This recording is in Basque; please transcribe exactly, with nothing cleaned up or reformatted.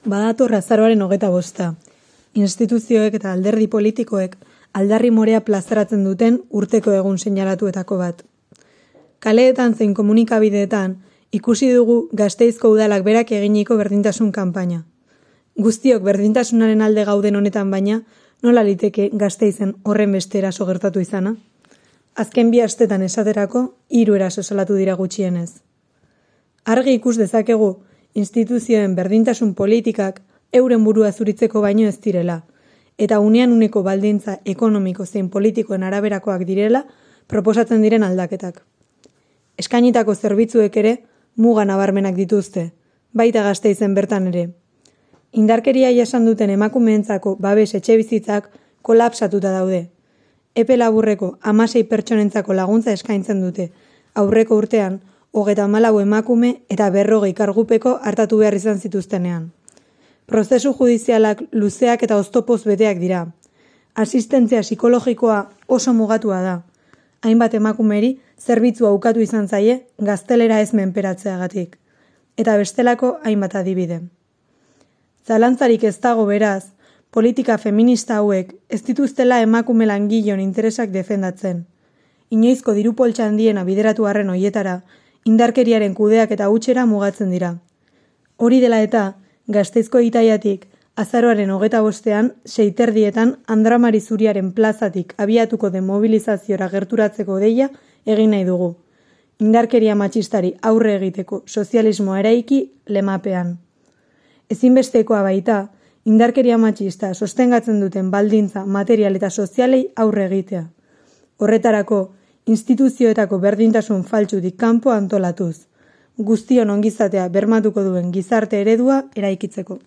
Badator azaroaren hogeta bosta. Instituzioek eta alderdi politikoek aldarri morea plazaratzen duten urteko egun seinalatuetako bat. Kaleetan zein komunikabideetan ikusi dugu Gasteizko udalak berak eginiko berdintasun kanpaina. Guztiok berdintasunaren alde gauden honetan baina, nola liteke Gasteizen horren beste eraso gertatu izana? Azken bi astetan esaterako, hiru eraso salatu dira gutxienez. Argi ikus dezakegu, instituzioen berdintasun politikak euren burua zuritzeko baino ez direla, eta unean uneko baldintza ekonomiko zein politikoen araberakoak direla proposatzen diren aldaketak. Eskainitako zerbitzuek ere muga nabarmenak dituzte, baita Gasteizen bertan ere. Indarkeria jasan duten emakumeentzako babes etxebizitzak kolapsatuta daude. Epe laburreko hamasei pertsonentzako laguntza eskaintzen dute, aurreko urtean hogeita hamalau emakume eta berrogei kargupeko hartatu behar izan zituztenean. Prozesu judizialak luzeak eta oztopoz beteak dira. Asistentzia psikologikoa oso mugatua da. Hainbat emakumeri zerbitzua ukatu izan zaie gaztelera ez menperatzeagatik. Eta bestelako hainbat adibide. Zalantzarik ez dago beraz, politika feminista hauek ez dituztela emakume langileon interesak defendatzen. Inoizko diru poltsa handiena bideratu arren hoietara, indarkeriaren kudeak eta hutsera mugatzen dira. Hori dela eta, Gasteizko Itaiatik, azaroaren hogeta bostean, seiterdietan Andramari Zuriaren plazatik abiatuko den mobilizaziora gerturatzeko deia egin nahi dugu. Indarkeria matxistari aurre egiteko sozialismoa eraiki lemapean. Ezinbestekoa baita, indarkeria matxista sostengatzen duten baldintza material eta sozialei aurre egitea. Horretarako, instituzioetako berdintasun faltsutik kanpo antolatuz, guztion ongizatea bermatuko duen gizarte eredua eraikitzeko.